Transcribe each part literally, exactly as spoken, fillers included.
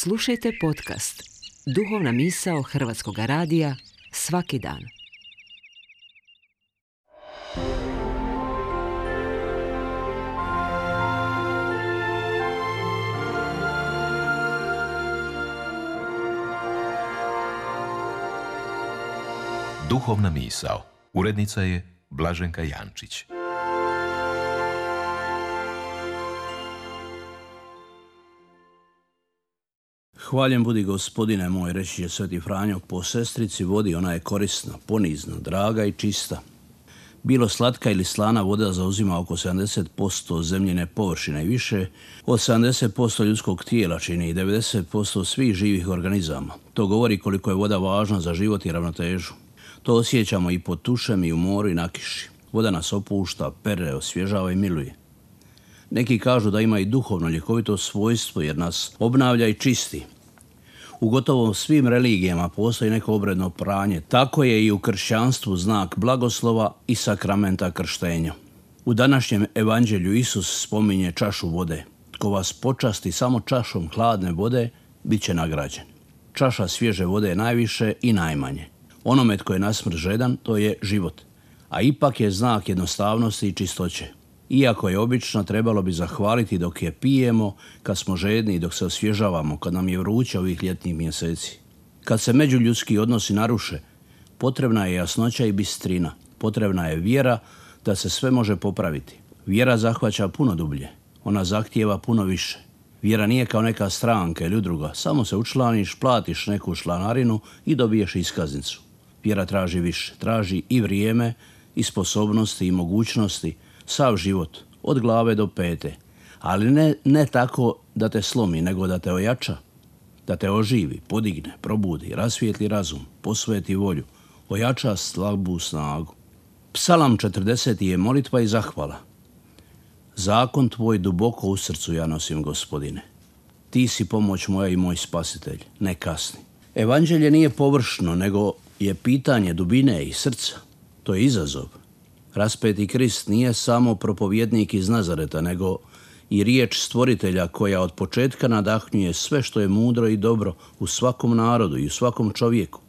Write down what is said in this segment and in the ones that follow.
Slušajte podcast Duhovna misao Hrvatskog radija svaki dan. Duhovna misao. Urednica je Blaženka Jančić. Hvaljen budi Gospodine moj, reći je Sveti Franjo, po sestrici vodi ona je korisna, ponizna, draga i čista. Bilo slatka ili slana voda zauzima oko sedamdeset posto zemljine površine i više, od sedamdeset posto ljudskog tijela čini i devedeset posto svih živih organizama. To govori koliko je voda važna za život i ravnotežu. To osjećamo i pod tušem i u moru i na kiši. Voda nas opušta, pere, osvježava i miluje. Neki kažu da ima i duhovno ljekovito svojstvo jer nas obnavlja i čisti. U gotovo svim religijama postoji neko obredno pranje. Tako je i u kršćanstvu znak blagoslova i sakramenta krštenja. U današnjem evanđelju Isus spominje čašu vode. Tko vas počasti samo čašom hladne vode, bit će nagrađen. Čaša svježe vode je najviše i najmanje. Onome tko je na smrt žedan, to je život. A ipak je znak jednostavnosti i čistoće. Iako je obično, trebalo bi zahvaliti dok je pijemo, kad smo žedni i dok se osvježavamo, kad nam je vruće ovih ljetnih mjeseci. Kad se međuljudski odnosi naruše, potrebna je jasnoća i bistrina. Potrebna je vjera da se sve može popraviti. Vjera zahvaća puno dublje. Ona zahtijeva puno više. Vjera nije kao neka stranka ili udruga. Samo se učlaniš, platiš neku članarinu i dobiješ iskaznicu. Vjera traži više. Traži i vrijeme, i sposobnosti, i mogućnosti, sav život, od glave do pete. Ali ne, ne tako da te slomi, nego da te ojača, da te oživi, podigne, probudi, rasvijetli razum, posveti volju, ojača slabu snagu. Psalam četrdeseti je molitva i zahvala. Zakon tvoj duboko u srcu ja nosim, Gospodine. Ti si pomoć moja i moj spasitelj, ne kasni. Evanđelje nije površno, nego je pitanje dubine i srca. To je izazov. Raspeti Krist nije samo propovjednik iz Nazareta, nego i riječ stvoritelja koja od početka nadahnjuje sve što je mudro i dobro u svakom narodu i u svakom čovjeku,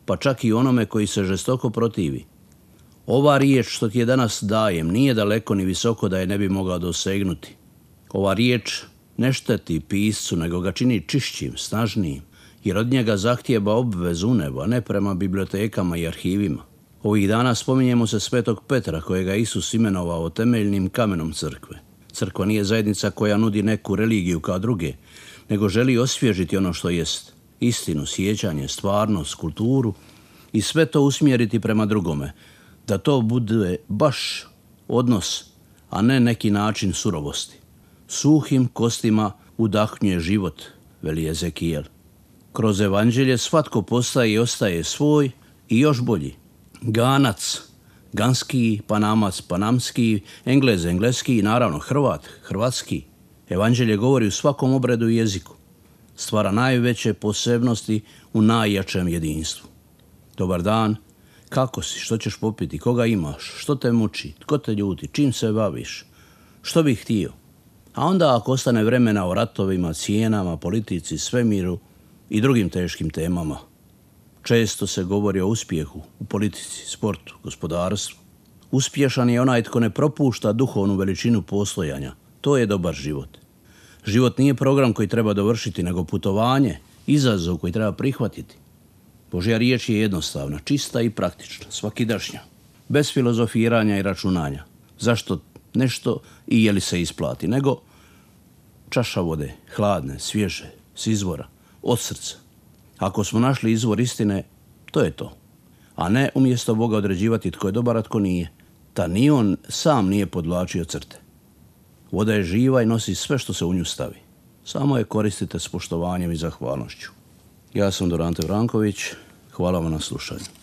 pa čak i onome koji se žestoko protivi. Ova riječ što ti je danas dajem nije daleko ni visoko da je ne bi mogao dosegnuti. Ova riječ ne šteti piscu, nego ga čini čišćim, snažnijim, jer od njega zahtijeva obvezu u nebo, a ne prema bibliotekama i arhivima. Ovih dana spominjemo se Svetog Petra, kojega Isus imenovao temeljnim kamenom crkve. Crkva nije zajednica koja nudi neku religiju kao druge, nego želi osvježiti ono što jest. Istinu, sjećanje, stvarnost, kulturu i sve to usmjeriti prema drugome. Da to bude baš odnos, a ne neki način surovosti. Suhim kostima udahnjuje život, veli Ezekijel. Kroz evanđelje svatko postaje i ostaje svoj i još bolji. Ganac, ganski, Panamac, panamski, Englez, engleski i naravno Hrvat, hrvatski. Evanđelje govori u svakom obredu i jeziku. Stvara najveće posebnosti u najjačem jedinstvu. Dobar dan, kako si, što ćeš popiti, koga imaš, što te muči, tko te ljuti, čim se baviš, što bih htio. A onda ako ostane vremena o ratovima, cijenama, politici, svemiru i drugim teškim temama. Često se govori o uspjehu u politici, sportu, gospodarstvu. Uspješan je onaj tko ne propušta duhovnu veličinu postojanja. To je dobar život. Život nije program koji treba dovršiti, nego putovanje, izazov koji treba prihvatiti. Božja riječ je jednostavna, čista i praktična, svakidašnja, bez filozofiranja i računanja. Zašto nešto i je li se isplati, nego čaša vode, hladne, svježe, s izvora, od srca. Ako smo našli izvor istine, to je to. A ne umjesto Boga određivati tko je dobar, a tko nije. Ta ni on sam nije podvlačio crte. Voda je živa i nosi sve što se u nju stavi. Samo je koristite s poštovanjem i zahvalnošću. Ja sam Dorante Vranković. Hvala vam na slušanju.